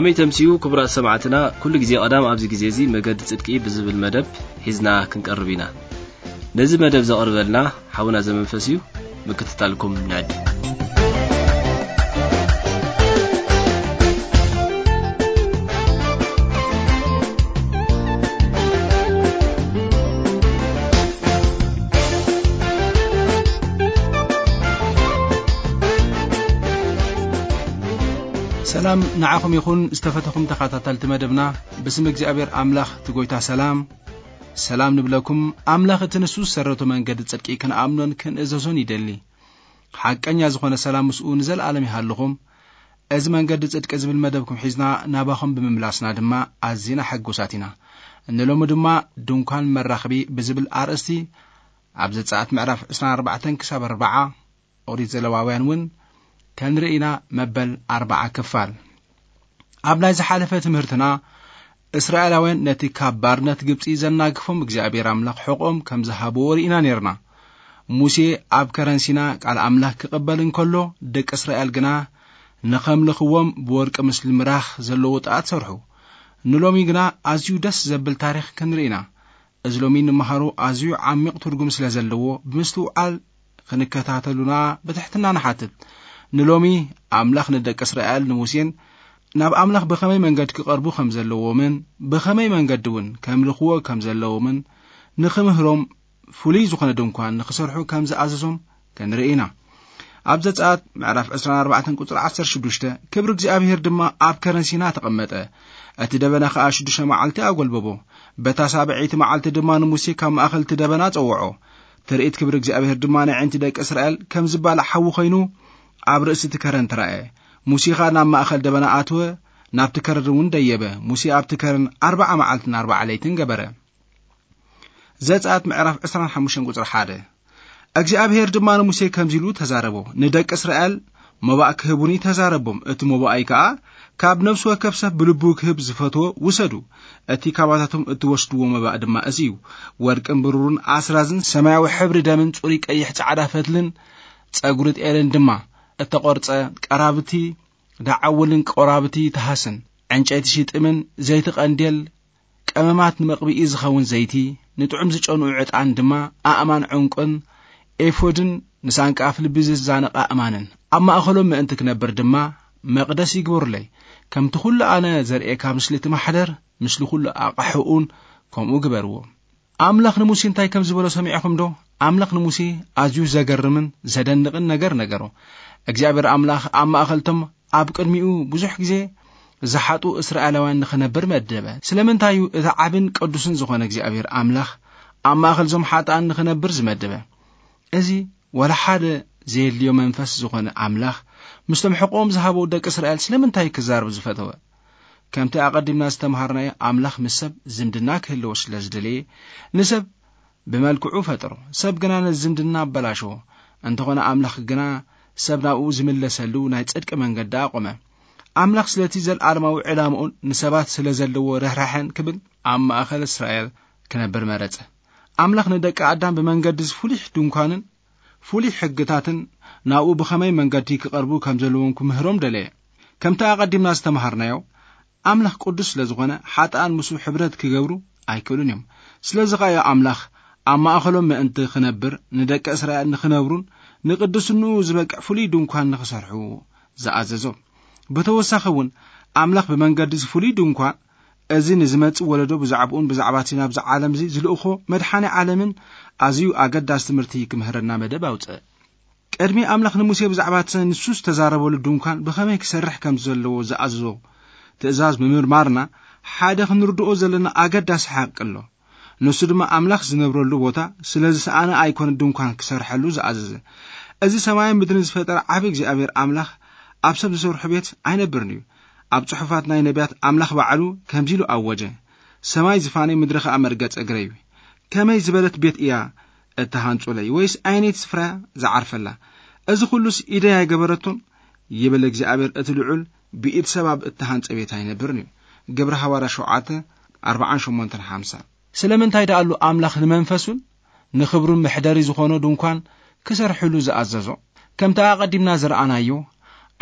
ከመይ ተምስዩ ክቡራት ሰማዕትና፣ ኩሉ ግዜ ቀዳም ኣብዚ ግዜ እዚ መገዲ ጽድቂ ብዝብል መደብ ሒዝና ክንቀርብ ኢና። ነዚ መደብ ዘቕርበልና ሓውና ዘመንፈስ እዩ። ምክትታልኩም ንዕድም። ሰላም ንዓኹም ይኹን ዝተፈተኹም ተኸታተልቲ መደብና። ብስም እግዚኣብሔር ኣምላኽ እቲ ጎይታ ሰላም፣ ሰላም ንብለኩም። ኣምላኽ እቲ ንሱ ዝሰረቶ መንገዲ ጽድቂ ክንኣምኖን ክንእዘዞን ይደሊ። ሓቀኛ ዝኾነ ሰላም ምስኡ ንዘለኣለም ይሃልኹም። እዚ መንገዲ ጽድቂ ዝብል መደብኩም ሒዝና ናባኹም ብምምላስና ድማ ኣዚና ሕጉሳት ኢና። ንሎሚ ድማ ድንኳን መራኽቢ ብዝብል ኣርእስቲ ኣብ ዘጸኣት ምዕራፍ ዕስራን ኣርባዕተን ክሳብ ኣርብዓ ኦሪት ዘለዋውያን እውን ከንርኢ ኢና። መበል ኣርብዓ ክፋል። ኣብ ናይ ዝሓለፈ ትምህርትና እስራኤላውያን ነቲ ካብ ባርነት ግብጺ ዘናግፎም እግዚኣብሔር ኣምላኽ ሕቖም ከም ዝሃብዎ ርኢና ነርና። ሙሴ ኣብ ከረን ሲና ቃል ኣምላኽ ክቕበል እንከሎ፣ ደቂ እስራኤል ግና ንኸምልኽዎም ብወርቂ ምስሊ ምራኽ ዘለዎ ጣት ሰርሑ። ንሎሚ ግና ኣዝዩ ደስ ዘብል ታሪኽ ክንርኢ ኢና። እዚ ሎሚ ንምሃሮ ኣዝዩ ዓሚቕ ትርጉም ስለ ዘለዎ ብምስትውዓል ክንከታተሉና ብትሕትና ንሓትት። ንሎሚ ኣምላኽ ንደቂ እስራኤል ንሙሴን ናብ ኣምላኽ ብኸመይ መንገዲ ክቐርቡ ከም ዘለዎምን ብኸመይ መንገዲ እውን ከምልኽዎ ከም ዘለዎምን ንኽምህሮም ፍሉይ ዝኾነ ድንኳን ንኽሰርሑ ከም ዝኣዘዞም ክንርኢ ኢና። ኣብ ዘጸኣት ምዕራፍ ዕስራን ኣርባዕተን ቁጽሪ ዓሰርተ ሽዱሽተ፣ ክብሪ እግዚኣብሔር ድማ ኣብ ከረን ሲና ተቐመጠ። እቲ ደበና ኸኣ ሽዱሽተ መዓልቲ ኣጎልበቦ። በታ ሳብዐይቲ መዓልቲ ድማ ንሙሴ ካብ ማእኸል እቲ ደበና ጸውዖ። ትርኢት ክብሪ እግዚኣብሔር ድማ ንዕንቲ ደቂ እስራኤል ከም ዝባላዕ ሓዊ ኾይኑ ኣብ ርእሲ እቲ ከረን ተራእየ። ሙሴ ኸኣ ናብ ማእኸል ደበና ኣትወ፣ ናብቲ ከረን እውን ደየበ። ሙሴ ኣብቲ ከረን ኣርብዓ መዓልትን ኣርብዓ ለይትን ገበረ። ዘጸኣት ምዕራፍ ዕስራን ሓሙሽተን ቁጽሪ ሓደ። እግዚኣብሔር ድማ ንሙሴ ከምዚ ኢሉ ተዛረቦ፣ ንደቂ እስራኤል መባእ ክህቡኒ ተዛረቦም። እቲ መባኣይ ከኣ ካብ ነፍሲ ወከፍ ሰብ ብልቡ ክህብ ዝፈትዎ ውሰዱ። እቲ ካባታቶም እትወስድዎ መባእ ድማ እዚ እዩ፣ ወርቅን ብሩርን ኣስራዝን ሰማያዊ ሕብሪ ደምን ጽሩይ ቀይሕ ጻዕዳ ፈትልን ጸጉሪ ጤልን ድማ እተቖርጸ ቀራብቲ ደዓውልን ቆራብቲ ተሃስን፣ ዕንጨይቲ ሽጥምን፣ ዘይቲ ቀንዴል፣ ቀመማት ንመቕብኢ ዝኸውን ዘይቲ፣ ንጥዑም ዝጨንኡ ዕጣን ድማ ኣእማን ዕንቁን ኤፎድን ንሳንቃ ኣፍ ልቢ ዝዛነቕ ኣእማንን። ኣብ ማእከሎም ምእንቲ ክነብር ድማ መቕደስ ይግበሩለይ። ከምቲ ኩሉ ኣነ ዘርእየካ ምስሊ እቲ ማሕደር፣ ምስሊ ኩሉ ኣቕሕኡን ከምኡ ግበርዎ። ኣምላኽ ንሙሴ እንታይ ከም ዝበሎ ሰሚዕኹም ዶ? ኣምላኽ ንሙሴ ኣዝዩ ዘገርምን ዘደንቕን ነገር ነገሮ። እግዚኣብሔር ኣምላኽ ኣብ ማእከልቶም ኣብ ቅድሚኡ ብዙሕ ግዜ ዝሓጡ እስራኤላውያን ንኽነብር መደበ። ስለምንታይ እዩ እቲ ዓብን ቅዱስን ዝኾነ እግዚኣብሔር ኣምላኽ ኣብ ማእከል እዞም ሓጥኣን ንኽነብር ዝመደበ? እዚ ወላ ሓደ ዘየድልዮ መንፈስ ዝኾነ ኣምላኽ ምስቶም ሕቖም ዝሃበው ደቂ እስራኤል ስለምንታይ ክዛረብ ዝፈተወ? ከምቲ ኣቐዲምና ዝተምሃርናዮ ኣምላኽ ምስ ሰብ ዝምድና ክህልዎ ስለ ዝደለየ ንሰብ ብመልክዑ ፈጠሮ። ሰብ ግና ነዚ ዝምድና ኣበላሸዎ። እንተኾነ ኣምላኽ ግና ሰብ ናብኡ ዝምለሰሉ ናይ ጽድቂ መንገዲ ኣቖመ። ኣምላኽ ስለቲ ዘለኣለማዊ ዕላምኡን ንሰባት ስለ ዘለዎ ርህራሐን ክብል ኣብ ማእከል እስራኤል ክነብር መረጸ። ኣምላኽ ንደቂ ኣዳም ብመንገዲ እዚ ፍሉይ ድንኳንን ፍሉይ ሕግታትን ናብኡ ብኸመይ መንገዲ ክቐርቡ ከም ዘለዎም ክምህሮም ደለየ። ከምቲ ኣቐዲምና ዝተምሃርናዮ ኣምላኽ ቅዱስ ስለ ዝኾነ ሓጥኣን ምስኡ ሕብረት ክገብሩ ኣይክእሉን እዮም። ስለዚ ኸኣ እዩ ኣምላኽ ኣብ ማእከሎም ምእንቲ ክነብር ንደቂ እስራኤል ንኽነብሩን ንቅድስንኡ ዝበቅዕ ፍሉይ ድንኳን ንኽሰርሑ ዝኣዘዞም። ብተወሳኺ እውን ኣምላኽ ብመንገዲ እዚ ፍሉይ ድንኳን እዚ ንዝመጽእ ወለዶ ብዛዕባኡን ብዛዕባ እቲ ናብዚ ዓለም እዚ ዝልእኾ መድሓኒ ዓለምን ኣዝዩ ኣገዳሲ ትምህርቲ ክምህረና መደብ ኣውጽአ። ቅድሚ ኣምላኽ ንሙሴ ብዛዕባ እቲ ንሱ ዝተዛረበሉ ድንኳን ብኸመይ ክሰርሕ ከም ዘለዎ ዝኣዘዞ ትእዛዝ ምምርማርና ሓደ ክንርድኦ ዘለና ኣገዳሲ ሓቂ ኣሎ። ንሱ ድማ ኣምላኽ ዝነብረሉ ቦታ ስለ ዝሰኣነ ኣይኮነ ድንኳን ክሰርሐሉ ዝኣዘዘ። እዚ ሰማይን ምድርን ዝፈጠረ ዓቢ እግዚኣብሔር ኣምላኽ ኣብ ሰብ ዝሰርሖ ቤት ኣይነብርን እዩ። ኣብ ጽሑፋት ናይ ነቢያት ኣምላኽ ባዕሉ ከምዚ ኢሉ ኣወጀ፣ "ሰማይ ዝፋነይ ምድሪ ኸኣ መርገጽ እግረይ እዩ። ከመይ ዝበለት ቤት እያ እተሃንጹለይ፣ ወይስ ኣየነይቲ ስፍራ ዝዓርፈላ? እዚ ኹሉስ ኢደይ ኣይገበረቶን?" ይብል እግዚኣብሔር እቲ ልዑል፣ ብኢድ ሰብ ኣብ እተሃንጸ ቤት ኣይነብርን እዩ። ግብሪ ሃዋርያ ሸውዓተ፣ ኣርብዓን ሸሞንተን ሓምሳን። ስለምንታይ ደኣሉ ኣምላኽ ንመንፈሱን ንኽብሩን መሕደሪ ዝኾኖ ድንኳን ክሰርሕሉ ዝኣዘዞ? ከምቲ ኣቐዲምና ዝረኣናዮ፣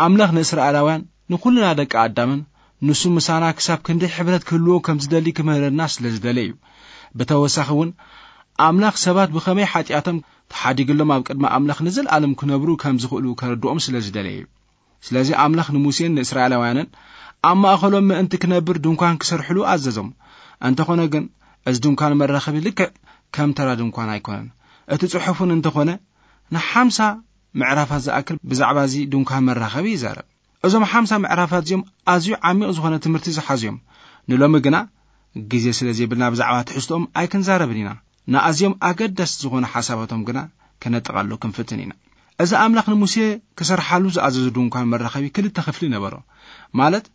ኣምላኽ ንእስራኤላውያን ንኹልና ደቂ ኣዳምን ንሱ ምሳና ክሳብ ክንደይ ሕብረት ክህልዎ ከም ዝደሊ ክምህረና ስለ ዝደለ እዩ። ብተወሳኺ እውን ኣምላኽ ሰባት ብኸመይ ሓጢኣቶም ተሓዲግሎም ኣብ ቅድሚ ኣምላኽ ንዘለኣለም ክነብሩ ከም ዝኽእሉ ከረድኦም ስለ ዝደለ እዩ። ስለዚ ኣምላኽ ንሙሴን ንእስራኤላውያንን ኣብ ማእኸሎም ምእንቲ ክነብር ድንኳን ክሰርሕሉ ኣዘዞም። እንተኾነ ግን፣ እዚ ድንኳን መራኸቢ ልክዕ ከም ተራ ድንኳን ኣይኮነን። እቲ ጽሑፍን እንተኾነ ንሓምሳ ምዕራፋት ዝኣክል ብዛዕባ እዚ ድንኳን መራኸቢ ይዛረብ። እዞም ሓምሳ ምዕራፋት እዚኦም ኣዝዩ ዓሚቕ ዝኾነ ትምህርቲ ዝሓዙ እዮም። ንሎሚ ግና ግዜ ስለ ዘይብልና ብዛዕባ ትሕዝቶኦም ኣይክንዛረብን ኢና። ንኣዝዮም ኣገደስቲ ዝኾነ ሓሳባቶም ግና ከነጠቓሉ ክንፍትን ኢና። እዚ ኣምላኽ ንሙሴ ክሰርሓሉ ዝኣዘዙ ድንኳን መራኸቢ ክልተ ክፍሊ ነበሮ። ማለት፣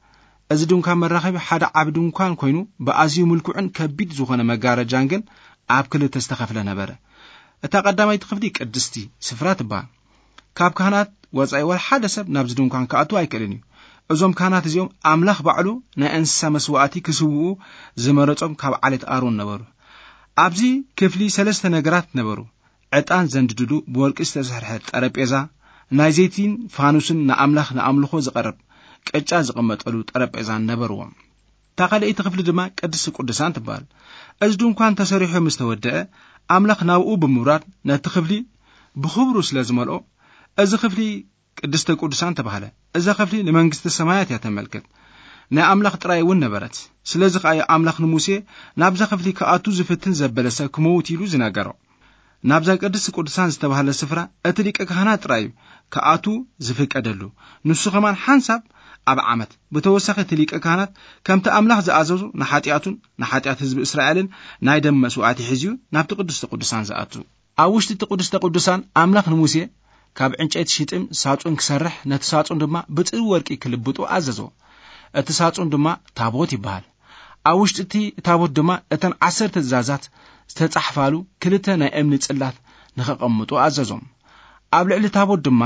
እዚ ድንኳን መራኸቢ ሓደ ዓቢ ድንኳን ኮይኑ፣ ብኣዝዩ ምልኩዕን ከቢድ ዝኾነ መጋረጃን ግን ኣብ ክልተ ዝተኸፍለ ነበረ። እታ ቀዳማይቲ ክፍሊ ቅድስቲ ስፍራ ትበሃል። ካብ ካህናት ወጻኢ ወላ ሓደ ሰብ ናብዚ ድንኳን ክኣቱ ኣይክእልን እዩ። እዞም ካህናት እዚኦም ኣምላኽ ባዕሉ ናይ እንስሳ መስዋእቲ ክስውኡ ዝመረጾም ካብ ዓሌት ኣሮን ነበሩ። ኣብዚ ክፍሊ ሰለስተ ነገራት ነበሩ። ዕጣን ዘንድድሉ ብወርቂ ዝተሰርሐ ጠረጴዛ፣ ናይ ዘይቲን ፋኑስን ንኣምላኽ ንኣምልኾ ዝቐርብ ቅጫ ዝቕመጠሉ ጠረጴዛን ነበርዎም። እታ ካልኣይቲ ክፍሊ ድማ ቅድስቲ ቅዱሳን ትበሃል። እዚ ድንኳን ተሰሪሑ ምስ ተወደአ፣ ኣምላኽ ናብኡ ብምውራድ ነቲ ክፍሊ ብኽብሩ ስለ ዝመልኦ፣ እዚ ክፍሊ ቅድስተ ቅዱሳን ተባህለ። እዛ ክፍሊ ንመንግስቲ ሰማያት እያ ተመልክት። ናይ ኣምላኽ ጥራይ እውን ነበረት። ስለዚ ከኣ እዩ ኣምላኽ ንሙሴ ናብዛ ክፍሊ ክኣቱ ዝፍትን ዘበለ ሰብ ክመውት ኢሉ ዝነገሮ። ናብዛ ቅድስቲ ቅዱሳን ዝተባህለ ስፍራ እቲ ሊቀ ካህናት ጥራይ እዩ ክኣቱ ዝፍቀደሉ። ንሱ ከማን ሓንሳብ ኣብ ዓመት። ብተወሳኺ እቲ ሊቀ ካህናት ከምቲ ኣምላኽ ዝኣዘዙ ንሓጢኣቱን ንሓጢኣት ህዝቢ እስራኤልን ናይ ደም መስዋእቲ ሒዙ እዩ ናብቲ ቅድስተ ቅዱሳን ዝኣቱ። ኣብ ውሽጢ እቲ ቅድስተ ቅዱሳን ኣምላኽ ንሙሴ ካብ ዕንጨይቲ ሽጥም ሳጹን ክሰርሕ፣ ነቲ ሳጹን ድማ ብጽሩ ወርቂ ክልብጡ ኣዘዞ። እቲ ሳጹን ድማ ታቦት ይበሃል። ኣብ ውሽጢ እቲ ታቦት ድማ እተን ዓሰርተ ትእዛዛት ዝተጻሕፋሉ ክልተ ናይ እምኒ ጽላት ንኸቐምጡ ኣዘዞም። ኣብ ልዕሊ ታቦት ድማ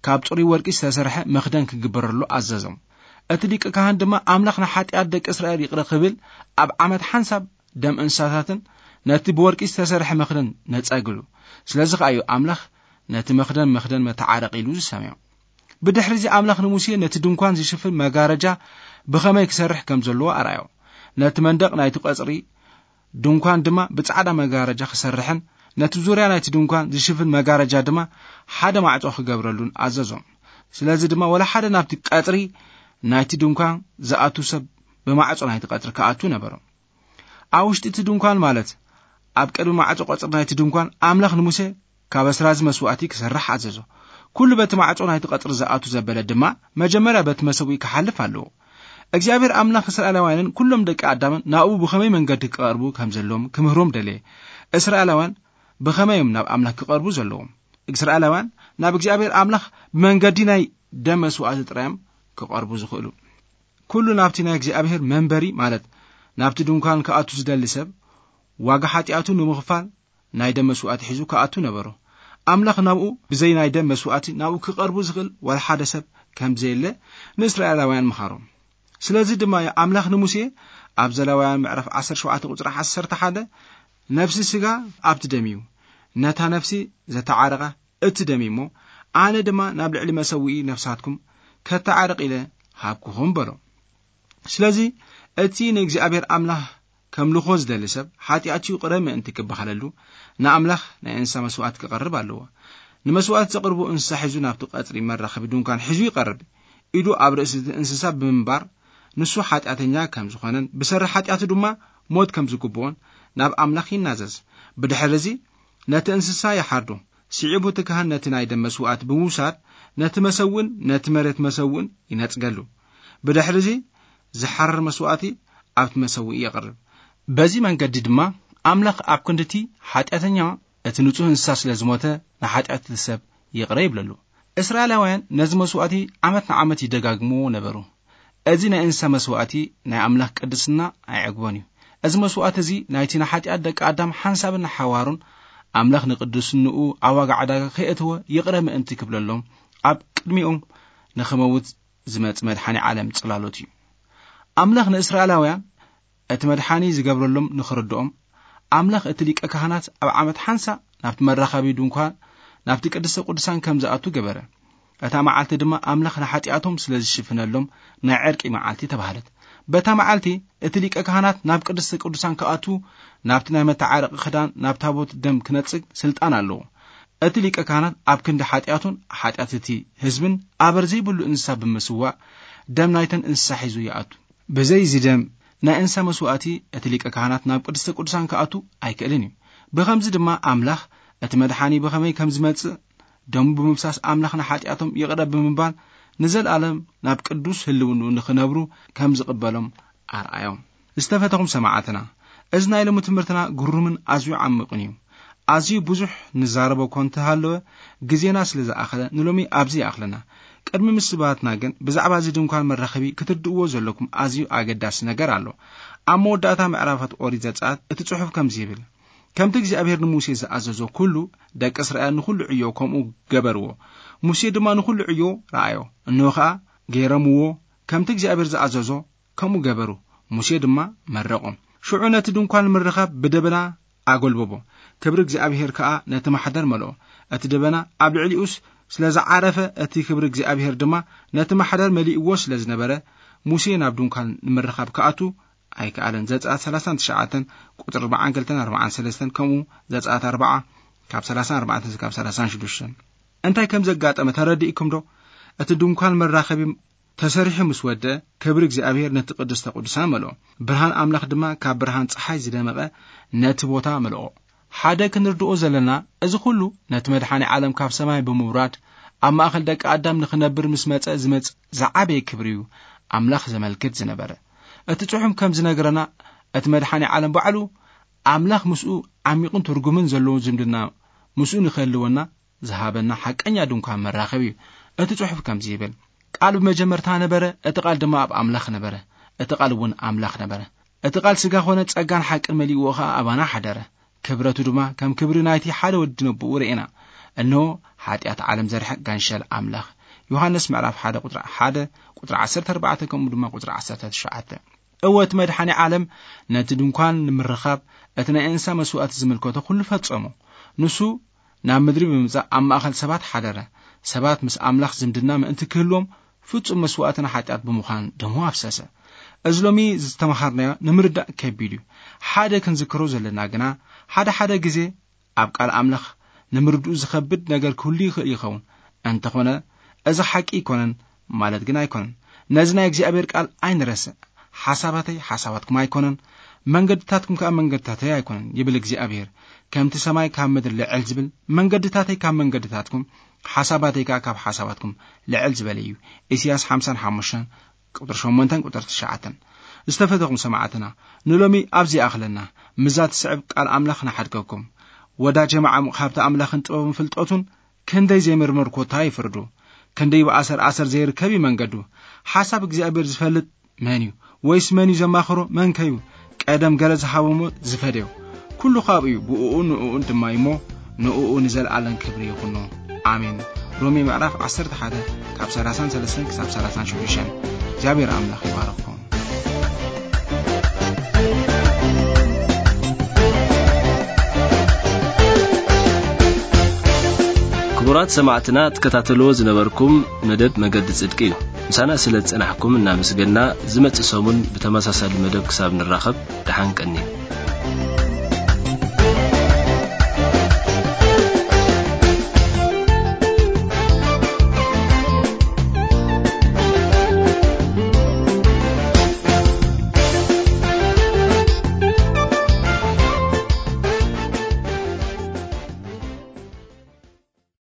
ካብ ጽሩይ ወርቂ ዝተሰርሐ መኽደን ክግበረሉ ኣዘዞም። እቲ ሊቀ ካህን ድማ ኣምላኽ ንሓጢኣት ደቂ እስራኤል ይቕረ ክብል ኣብ ዓመት ሓንሳብ ደም እንስሳታትን ነቲ ብወርቂ ዝተሰርሐ መኽደን ነጸግሉ። ስለዚ ከኣ እዩ ኣምላኽ ነቲ መኽደን መኽደን መተዓረቂ ኢሉ ዝሰምዮ። ብድሕሪ እዚ ኣምላኽ ንሙሴ ነቲ ድንኳን ዝሽፍን መጋረጃ ብኸመይ ክሰርሕ ከም ዘለዎ ኣርኣዮ። ነቲ መንደቕ ናይቲ ቀጽሪ ድንኳን ድማ ብጻዕዳ መጋረጃ ክሰርሕን ነቲ ዙርያ ናይቲ ድንኳን ዝሽፍን መጋረጃ ድማ ሓደ ማዕጾ ክገብረሉን ኣዘዞም። ስለዚ ድማ ወላ ሓደ ናብቲ ቀጽሪ ናይቲ ድንኳን ዝኣቱ ሰብ ብማዕጾ ናይቲ ቀጽሪ ክኣቱ ነበሮ። ኣብ ውሽጢ እቲ ድንኳን፣ ማለት ኣብ ቅድሚ ማዕጾ ቀጽሪ ናይቲ ድንኳን፣ ኣምላኽ ንሙሴ ካብ ኣስራዚ መስዋእቲ ክሰርሕ ኣዘዞ። ኩሉ በቲ ማዕጾ ናይቲ ቀጽሪ ዝኣቱ ዘበለ ድማ መጀመርያ በቲ መሰውኢ ክሓልፍ ኣለዎ። እግዚኣብሔር ኣምላኽ እስራኤላውያንን ኩሎም ደቂ ኣዳምን ናብኡ ብኸመይ መንገዲ ክቐርቡ ከም ዘለዎም ክምህሮም ደለየ። እስራኤላውያን ብኸመይ እዮም ናብ ኣምላኽ ክቐርቡ ዘለዎም? እስራኤላውያን ናብ እግዚኣብሔር ኣምላኽ ብመንገዲ ናይ ደም መስዋእቲ ጥራዮም ክቐርቡ ዝኽእሉ። ኩሉ ናብቲ ናይ እግዚኣብሔር መንበሪ፣ ማለት ናብቲ ድንኳን ክኣቱ ዝደሊ ሰብ፣ ዋጋ ሓጢኣቱ ንምኽፋል ናይ ደም መስዋእቲ ሒዙ ክኣቱ ነበሮ። ኣምላኽ ናብኡ ብዘይ ናይ ደም መስዋእቲ ናብኡ ክቐርቡ ዝኽእል ዋላ ሓደ ሰብ ከም ዘየለ ንእስራኤላውያን ምሃሮም። ስለዚ ድማ ኣምላኽ ንሙሴ ኣብ ዘሌዋውያን ምዕራፍ ዓሰርተ ሸውዓተ ቁጽሪ ዓሰርተ ሓደ፣ "ነፍሲ ስጋ ኣብቲ ደም እዩ፣ ነታ ነፍሲ ዘተዓረቐ እቲ ደም እዩ እሞ፣ ኣነ ድማ ናብ ልዕሊ መሰውኢ ነፍሳትኩም ከተዓርቕ ኢለ ሃብኩኹም" በሎ። ስለዚ እቲ ንእግዚኣብሔር ኣምላኽ ከምልኾ ዝደሊ ሰብ ሓጢኣቱ ይቕረ ምእንቲ ክበሃለሉ ንኣምላኽ ናይ እንስሳ መስዋእቲ ክቐርብ ኣለዎ። ንመስዋእቲ ዘቕርቡ እንስሳ ሒዙ ናብቲ ቀጽሪ መራኸቢ ድንኳን ሒዙ ይቐርብ። ኢዱ ኣብ ርእሲ እቲ እንስሳ ብምንባር ንሱ ሓጢኣተኛ ከም ዝኾነን ብሰሪ ሓጢኣቱ ድማ ሞት ከም ዝግብኦን ናብ ኣምላኽ ይናዘዝ። ብድሕሪ እዚ ነቲ እንስሳ ይሓርዶ። ስዒቡ እቲ ካህን ነቲ ናይ ደም መስዋእቲ ብምውሳድ ነቲ መሰውእን ነቲ መሬት መሰውእን ይነጽገሉ። ብድሕሪ እዚ ዝሓርር መስዋእቲ ኣብቲ መሰውኢ የቕርብ። በዚ መንገዲ ድማ ኣምላኽ ኣብ ክንድቲ ሓጢኣተኛ እቲ ንጹህ እንስሳ ስለ ዝሞተ ንሓጢኣት እቲ ሰብ ይቕረ ይብለሉ። እስራኤላውያን ነዚ መስዋእቲ ዓመት ንዓመት ይደጋግምዎ ነበሩ። እዚ ናይ እንስሳ መስዋእቲ ናይ ኣምላኽ ቅድስና ኣይዕግቦን እዩ። እዚ መስዋእቲ እዚ ናይቲ ንሓጢኣት ደቂ ኣዳም ሓንሳብን ንሓዋሩን ኣምላኽ ንቅድስንኡ ኣብ ዋጋ ዕዳጋ ከየእትወ ይቕረ ምእንቲ ክብለሎም ኣብ ቅድሚኦም ንኽመውት ዝመጽእ መድሓኒ ዓለም ጽላሎት እዩ። ኣምላኽ ንእስራኤላውያን እቲ መድሓኒ ዝገብረሎም ንኽርድኦም፣ ኣምላኽ እቲ ሊቀ ካህናት ኣብ ዓመት ሓንሳ ናብቲ መራኸቢ ድንኳን፣ ናብቲ ቅድስተ ቅዱሳን ከም ዝኣቱ ገበረ። እታ መዓልቲ ድማ ኣምላኽ ንሓጢኣቶም ስለ ዝሽፍነሎም ናይ ዕርቂ መዓልቲ ተባህለት። በታ መዓልቲ እቲ ሊቀ ካህናት ናብ ቅድስተ ቅዱሳን ክኣቱ፣ ናብቲ ናይ መተዓረቂ ክዳን፣ ናብ ታቦት ደም ክነጽግ ስልጣን ኣለዎ። እቲ ሊቀ ካህናት ኣብ ክንዲ ሓጢኣቱን ሓጢኣት እቲ ህዝብን ኣበር ዘይብሉ እንስሳ ብምስዋእ፣ ደም ናይተን እንስሳ ሒዙ ይኣቱ። ብዘይ እዚ ደም ናይ እንስሳ መስዋእቲ እቲ ሊቀ ካህናት ናብ ቅድስተ ቅዱሳን ክኣቱ ኣይክእልን እዩ። ብኸምዚ ድማ ኣምላኽ እቲ መድሓኒ ብኸመይ ከም ዝመጽእ፣ ደሙ ብምፍሳስ ኣምላኽ ንሓጢኣቶም ይቕረ ብምባል ንዘለኣለም ናብ ቅዱስ ህልውንኡ ንኽነብሩ ከም ዝቕበሎም ኣርኣዮም። ዝተፈተኹም ሰማዕትና፣ እዚ ናይ ሎሚ ትምህርትና ግሩምን ኣዝዩ ዓሚቕን እዩ። ኣዝዩ ብዙሕ ንዛረቦ እኳ እንተሃለወ፣ ግዜና ስለ ዝኣኸለ ንሎሚ ኣብዚ ይኣኽለና። ቅድሚ ምስባትና ግን ብዛዕባ እዚ ድንኳን መራኸቢ ክትርድእዎ ዘለኩም ኣዝዩ ኣገዳሲ ነገር ኣሎ። ኣብ መወዳእታ ምዕራፋት ኦሪት ዘጸኣት እቲ ጽሑፍ ከምዚ ይብል፣ ከምቲ እግዚኣብሔር ንሙሴ ዝኣዘዞ ኩሉ ደቂ እስራኤል ንኹሉ ዕዮ ከምኡ ገበርዎ። ሙሴ ድማ ንኹሉ ዕዮ ረኣዮ፣ እንሆ ኸኣ ገይረምዎ፣ ከምቲ እግዚኣብሔር ዝኣዘዞ ከምኡ ገበሩ። ሙሴ ድማ መረቖም። ሽዑ ነቲ ድንኳን ንምርኻብ ብደበና ኣጎልበቦ፣ ክብሪ እግዚኣብሔር ከኣ ነቲ ማሕደር መልኦ። እቲ ደበና ኣብ ልዕሊኡስ ስለ ዝዓረፈ፣ እቲ ክብሪ እግዚኣብሔር ድማ ነቲ ማሕደር መሊእዎ ስለ ዝነበረ፣ ሙሴ ናብ ድንኳን ንምርኻብ ክኣቱ ኣይከኣለን። ዘጸኣት ሰላሳን ትሽዓተን ቁጽሪ ኣርባዓን ክልተን ኣርባዓን ሰለስተን ከምኡ ዘጸኣት ኣርባዓ ካብ ሰላሳን ኣርባዕተን ክሳብ ሰላሳን ሽዱሽተን። እንታይ ከም ዘጋጠመ ተረዲእኩም ዶ? እቲ ድንኳን መራኸቢ ተሰሪሑ ምስ ወደ፣ ክብሪ እግዚኣብሔር ነቲ ቅድስተ ቅዱሳን መልኦ። ብርሃን ኣምላኽ ድማ ካብ ብርሃን ጸሓይ ዝደመቐ ነቲ ቦታ መልኦ። ሓደ ክንርድኦ ዘለና፣ እዚ ኩሉ ነቲ መድሓኒ ዓለም ካብ ሰማይ ብምውራድ፣ ኣብ ማእከል ደቂ ኣዳም ንኽነብር ምስ መጸ ዝመጽእ ዝዓበየ ክብሪ እዩ ኣምላኽ ዘመልክት ዝነበረ። እቲ ጽሑፍ ከም ዝነግረና፣ እቲ መድሓኒ ዓለም ባዕሉ ኣምላኽ ምስኡ ዓሚቕን ትርጉምን ዘለዎ ዝምድና ምስኡ ንኽህልወና ዝሃበና ሓቀኛ ድንኳን መራኸቢ እዩ። እቲ ጽሑፍ ከምዚ ይብል፣ ቃል ብመጀመርታ ነበረ፣ እቲ ቃል ድማ ኣብ ኣምላኽ ነበረ፣ እቲ ቃል እውን ኣምላኽ ነበረ። እቲ ቃል ስጋ ኾነ፣ ጸጋን ሓቅን መሊእዎ ኸኣ ኣባና ሓደረ። ክብረቱ ድማ ከም ክብሪ ናይቲ ሓደ ወዲ ነብኡ ርኤና። እንሆ፣ ሓጢኣት ዓለም ዘርሕቕ ጋንሸል ኣምላኽ። ዮሃንስ ምዕራፍ ሓደ ቁጽሪ ሓደ፣ ቁጽሪ ዓሰርተ ኣርባዕተ፣ ከምኡ ድማ ቁጽሪ ዓሰርተ ትሽዓተ። እወ፣ እቲ መድሓኒ ዓለም ነቲ ድንኳን ንምርኻብ እቲ ናይ እንስሳ መስዋእቲ ዝምልከቶ ኩሉ ፈጸሙ። ንሱ ናብ ምድሪ ብምምጻእ ኣብ ማእከል ሰባት ሓደረ። ሰባት ምስ ኣምላኽ ዝምድና ምእንቲ ክህልዎም ፍጹም መስዋእቲ ንሓጢኣት ብምዃን ደሙ ኣፍሰሰ። እዚ ሎሚ ዝተመሃርናዮ ንምርዳእ ከቢድ እዩ። ሓደ ክንዝክሮ ዘለና ግና፣ ሓደ ሓደ ግዜ ኣብ ቃል ኣምላኽ ንምርድኡ ዝኸብድ ነገር ክህሉ ይኽእል ይኸውን። እንተኾነ፣ እዚ ሓቂ ኣይኮነን ማለት ግን ኣይኮነን። ነዚ ናይ እግዚኣብሔር ቃል ኣይንረስዕ። ሓሳባተይ ሓሳባትኩም ኣይኮነን፣ መንገድታትኩም ከኣ መንገድታተይ ኣይኮነን ይብል እግዚኣብሔር። ከምቲ ሰማይ ካብ ምድሪ ልዕል ዝብል፣ መንገድታተይ ካብ መንገድታትኩም፣ ሓሳባተይ ከኣ ካብ ሓሳባትኩም ልዕል ዝበለ እዩ። ኢሳያስ ሓምሳን ሓሙሽተን ቁጥሪ ሸሞንተን ቁጥሪ ትሽዓተን። ዝተፈተኹም ሰማዕትና፣ ንሎሚ ኣብዚ ይኣኽለና። ምዛ ትስዕብ ቃል ኣምላኽ ንሓድገኩም። ወዳጀ መዓሙቕ ሃብቲ ኣምላኽን ጥበብን ፍልጠቱን ክንደይ ዘይምርምር ኮታ ይፍርዱ። ክንደይ ብኣሰር ኣሰር ዘይርከብ እዩ መንገዱ። ሓሳብ እግዚኣብሔር ዝፈልጥ መን እዩ? ወይስ መን እዩ ዘማኽሮ? መን ከዩ ቀደም ገለ ዝሃቦሞ ዝፈደዮ? ኩሉ ካብኡ እዩ፣ ብእኡ ንእኡን ድማ እዩ እሞ፣ ንእኡ ንዘለኣለም ክብሪ ይኹኖ። ኣሜን። ሮሜ ምዕራፍ ዓሰርተ ሓደ ካብ ሰላሳን ሰለስተን ክሳብ ሰላሳን ሽዱሽተን። እግዚኣብሔር ኣምላኽ ይባርኽኩም። ክቡራት ሰማዕትና፣ ትከታተልዎ ዝነበርኩም መደብ መገዲ ጽድቂ እዩ። ምሳና ስለ ዝጸናሕኩም እናመስገንና፣ ዝመጽእ ሰሙን ብተመሳሳሊ መደብ ክሳብ ንራኸብ፣ ደሓን ቀንዩ።